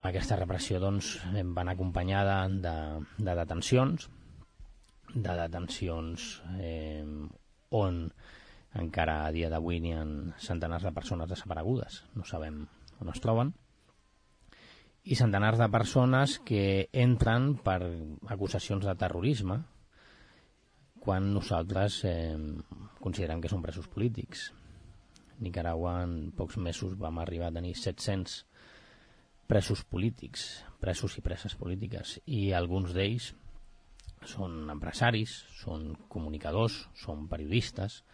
Aquesta repressió doncs, va anar acompanyada de detencions, on encara a dia d'avui n'hi ha centenars de persones desaparegudes, no sabem on es troben, i centenars de persones que entren per acusacions de terrorisme quan nosaltres considerem que són presos polítics. A Nicaragua en pocs mesos vam arribar a tenir 700 presos polítics, presos i preses polítiques, i alguns d'ells són empresaris, són comunicadors, són periodistes,